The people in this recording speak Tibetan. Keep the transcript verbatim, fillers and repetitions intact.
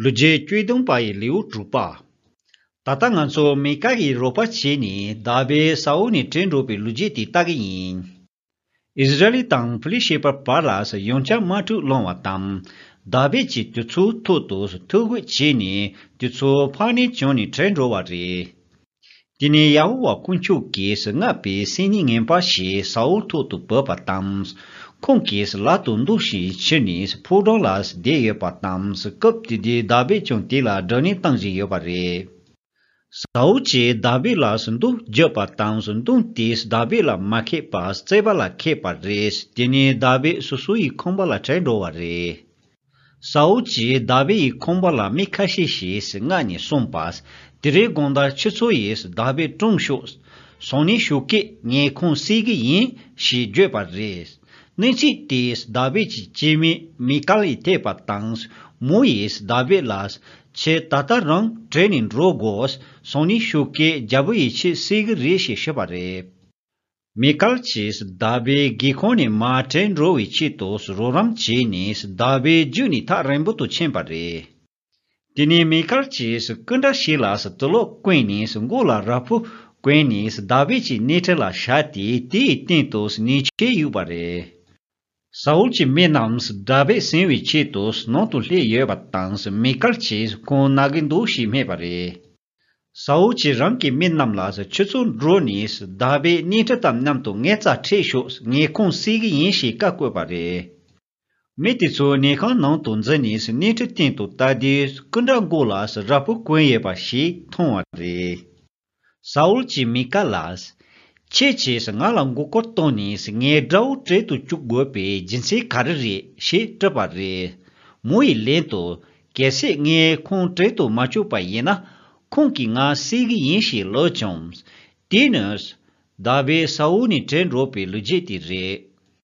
ལོ་རྒྱུས་བཅུ་བདུན་པ་ཡི་ལེའུ་དྲུག་པ། ད་ལྟ་ང་ཚོ་མི་ཀལ་གྱི་རོགས་པ་བྱས་ནས་དཱ་བིད་ས་ཨུལ་ནས་བྲོས་འགྲོ་བའི་ལོ་རྒྱུས་དེ་ལྟ་གི་ཡིན། ཨིསི་ར་ཨེལ་དང་ཕི་ལི་ཤེ་པ་བར་ལ་ཡང་བསྐྱར་དམག་འཁྲུག་སློང་བ་དང་། དཱ་བིད་ཀྱིས་དེ་ཚོའི་ཐོག་ཏུ་ཐུགས་རྒོལ་བྱས་ནས་དེ་ཚོ་ཕར་ནས་བྱོན་ནས་བྲོས་འགྲོ་བ་རེད། དེ་ནས་ཡ་ཧོ་ཝཱ་དཀོན་མཆོག་གིས་མངགས་པའི་སེམས་ཉིད་ངན་པ་ཞིག་ས་ཨུལ་ཐོག་ཏུ་བབས་པ་དང་། ཁོང་གིས་ལག་ཏུ་མདུང་ཞིག་ཁྱེར་ནས་ཕོ་བྲང་ལ་བསྡད་ཡོད་པ་དང་། སྐབས་དེ་དུས་དཱ་བིད་ཀྱང་དེ་ལ་བགྲོ་གླེང་གཏོང་བཞིན་ཡོད་པ་རེད། ས་ཨུལ་གྱིས་དཱ་བིད་ལ་མདུང་བརྒྱབ་པ་དང་། མདུང་དེས་དཱ་བིད་ལ་མ་ཁེལ་བར་རྩིག་པ་ལ་ཁེལ་བ་རེད། དེ་ནས་དཱ་བིད་སོ་སོ་ཡི་ཁང་པ་ལ་བྲོས་འགྲོ་བ་རེད། ས་ཨུལ་གྱིས་དཱ་བིད་ཡི་ཁང་པ་ལ་མི་ཁ་ཤས་ཤིག་མངགས་ནས་གསུངས་པ། དེ་རིང་དགོང་དག་ཁྱེད་ཚོ་ཡིས་དཱ་བིད་བཀྲོངས་ཤོག་སང་ཉིན་ཞོགས་ཀས་ངའི་ཁང་བརྩིག་གི་ཡིན་ཞེས་བརྗོད་པ་རེད། གནས་ཚུལ་དེ་དཱ་བིད་ཀྱི་སྐྱེས་དམན་མི་ཀལ་ཡིས་ཐོས་པ་དང་། མོ་ཡིས་དཱ་བིད་ལ། ཁྱེད་ད་ལྟ་རང་བྲོས་ནས་འགྲོ་དགོས། སང་ཉིན་ཞོགས་ཀས་རྒྱལ་པོ་ཡིས་ཁྱེད་བརྩིག་གི་རེད་ཞེས་ཤོད་པ་རེད། མི་ཀལ་གྱིས་དཱ་བིད་སྒེའུ་ཁུང་ནས་མར་བྲོས་འགྲོ་བའི་ཆེད་དུ་རོགས་རམ་བྱས་ནས་དཱ་བིད་བརྒྱུད་ནས་ཐག་རིང་པོ་དུ་ཕྱིན་པ་རེད། དེ་ནས་མི་ཀལ་གྱིས་སྐུ་འདྲ་ཞིག་ལ་དུག་ལོག་བསྐོན་ནས་མགོ་ལ་ར་ཕོ་གོན་ནས་དཱ་བིད་ཀྱི་སྣེ་ཁྲིད་ལ་བཞག་སྟེ་དེའི་སྟེང་དུ་ཉལ་ཆས་གཡུགས་པ་རེད། ས་ཨུལ་གྱི་མི་རྣམས་དཱ་བིད་ཟིན་པའི་ཆེད་དུ་ནང་དུ་སླེབས་ཡོད་པ་དང་། མི་ཀལ་གྱིས་ཁོང་ན་གི་འདུག་ཞེས་སྨྲས་པ་རེད། ས་ཨུལ་གྱིས་རང་གི་མི་རྣམས་ལ། ཁྱོད་ཚོ་འགྲོ་ནས་དཱ་བིད་སྣེ་ཁྲིད་དང་མཉམ་དུ་ངའི་རྩར་ཁྲིད་ཤོག་ངའི་ཁང་བརྩིག་གི་ཡིན་ཞེས་བཀའ་བཀོད་པ་རེད། མི་དེ་ཚོ་ཉལ་ཁང་ནང་དུ་འཛུལ་ནས་སྣེ་ཁྲིད་སྟེང་དུ་ལྟ་དུས་སྐུ་འདྲ་མགོ་ལ་ར་ཕོ་གོན་ཡོད་པ་ཞིག་མཐོང་བ་རེད། ས་ཨུལ་གྱིས་མི་ཀལ་ལ། ཁྱེད་ཀྱིས་ང་ལ་མགོ་སྐོར་བཏང་ནས་ངའི་དགྲ་བོ་བྲོས་དུ་བཅུག་དགོས་པའི་རྒྱུ་མཚན་ག་རེ་རེད་ཞེས་དྲིས་པ་རེད། མོ་ཡིས་ལན་དུ། གལ་སྲིད་ངའི་ཁང་བྲོས་དུ་མ་བཅུག་པ་ཡིན་ན། ཁོང་གིས་ང་བརྩིག་གི་ཡིན་ཞེས་ལབ་བྱུང་། དེ་ནི། དཱ་བིད་ས་ཨུལ་ནས་བྲོས་འགྲོ་བའི་ལོ་རྒྱུས་དེ་རེད།